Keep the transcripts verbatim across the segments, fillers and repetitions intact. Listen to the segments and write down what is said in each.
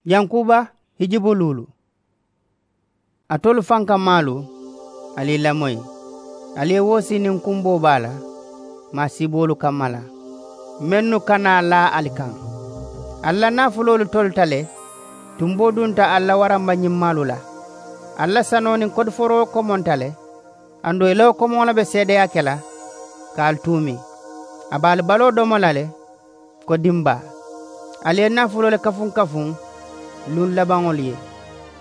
Yankuba hijibu luulu. Alitolu fankamaalu, ali ye i lamoyi, ali ye woosii niŋ kumboo baa la maasiiboolu kamma la, mennu ka naa laa ali kaŋ. Ali la naafuloolu tolita le, tumboo dunta ali la warambañimmaalu la. Ali la sanoo niŋ kodiforoo komonta le, aduŋ i la wo komoŋo le be seedeyaa ke la ka ali tuumi. A be ali baloo domo la le ko dimbaa. Ali ye naafuloo le kafuŋ kafuŋ luŋ labaŋolu ye.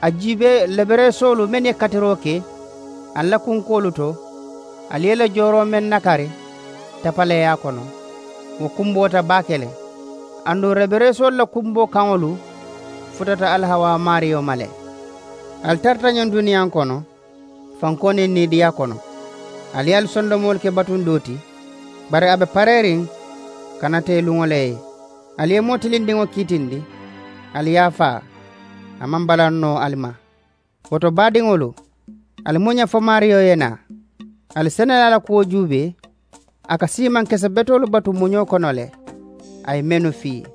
A juubee lebereesoolu mennu ye katiroo ke ali la kunkoolu to, ali ye i la jooroo meŋ nakari tapaleeyaa kono, wo kumboota baake le. Aduŋ lebereesoolu la kumboo kaŋolu futata alihawaa maariyo ma le. Ali tarata ñiŋ duniyaa kono fankoo niŋ niidiyaa kono. Ali ye ali sondomoolu ke batundoo ti, bari a be pareeriŋ ka nata ì luŋo le ye. Ali ye moo tilindiŋo kiitindi, ali ye a faa. A maŋ balaŋ noo ali ma. Wo to baadiŋolu, ali muña fo maariyo ye naa. Ali senelaa la kuwo juubee, a ka siimaŋ kese betoolu batu muñoo kono le. A ye mennu fii,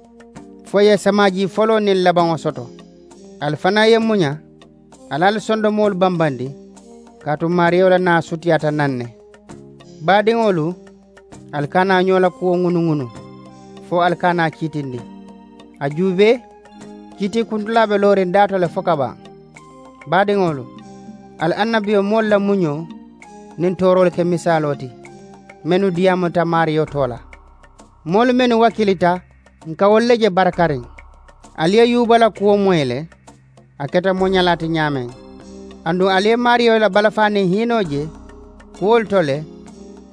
fo ì ye samaajii foloo niŋ labaŋo soto. Ali fanaa ye muña, ali ali sondomoolu bambandi, kaatu maariyo la naa sutiyaata naŋ ne. Baadiŋolu, ali kana ñoo la kuwo ŋunuŋunu, fo ali kana a kiitindi. A juubee, kiitiikuntulaa be looriŋ daato le fo ka baŋ. Baadiŋolu, ali annabiyomoolu la muñoo niŋ tooroolu ke misaaloo ti, mennu diyaamuta maariyo too la. Moolu mennu wakiilita, ǹ ka wolu le je barakariŋ. Ali ye yuuba la kuwo moyi le, a keta moñalaa ti ñaameŋ. Aduŋ ali ye maariyo la balafaa niŋ hiinoo je kuwolu to le,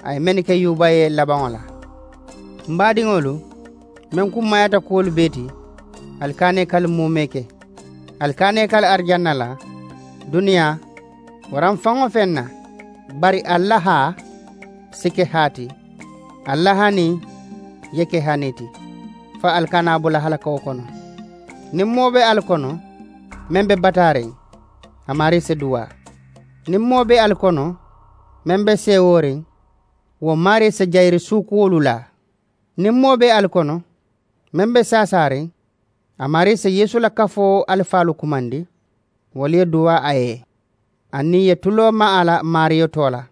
a ye mennu ke yuuba ye labaŋo la. M baadiŋolu, meŋ kummaayaata kuwolu bee ti, ali kana ì kali muumee ke. Ali kana ì kali arijanna la duniyaa, waraŋ faŋ-wo-feŋ na. Bari ali la haa si ke haa ti, ali la hanii ye ke hanii ti, fo ali kana a bula halakawo kono. Niŋ moo be ali kono meŋ be bataariŋ, a maarii si duwaa. Niŋ moo be ali kono meŋ be seewooriŋ, wo maarii si jayiri suukuwolu laa. Niŋ moo be ali kono meŋ be saasaariŋ, a maarii si yeesu la kafoo alifaalu kumandi, wolu ye duwaa a ye, aniŋ ì ye tuloo maa a la maariyo too la.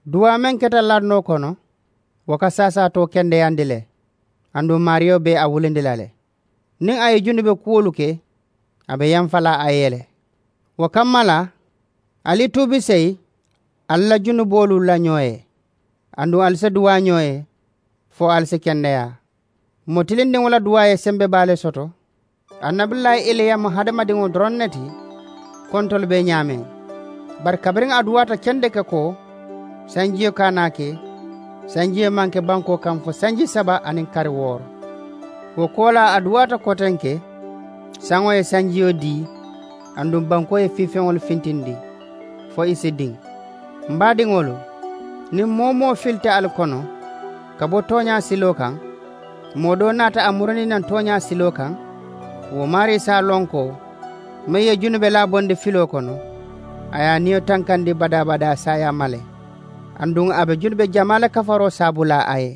Duwaa meŋ keta lannoo kono, wo ka saasaatoo kendeyandi le. Aduŋ maariyo be a wulindi la le. Niŋ a ye junube kuwolu ke, a be yamfa la a ye le. Wo kamma la, ali tuubi seyi ali la junuboolu la ñoo ye, aduŋ ali si duwaa ñoo ye fo ali si kendeyaa. Moo tilindiŋo la duwaa ye sembe baa le soto. Annabillaahi iliya mu hadamadiŋo doroŋ ne ti, kontolu be ñaameŋ. Bari kabiriŋ a duwaata kendeke ko sanjiyo kana a ke, sanjiyo maŋ ke bankoo kaŋ fo sanji saba aniŋ kari wooro. Wo koolaa a duwaata kotenke, saŋo ye sanjiyo dii, aduŋ bankoo ye fiifeŋolu fintindi fo ì si diŋ. M baadiŋolu, niŋ moo-wo-moo filita ali kono ka bo tooñaa siloo kaŋ, moo doo naata a murindi naŋ tooñaa siloo kaŋ, wo maarii si a loŋ ko meŋ ye junube laa bondi filoo kono, a ye a niyo tankandi badaa-badaa saayaa ma le. Aduŋ a be junube jamaa le kafaroo saabulaa a ye.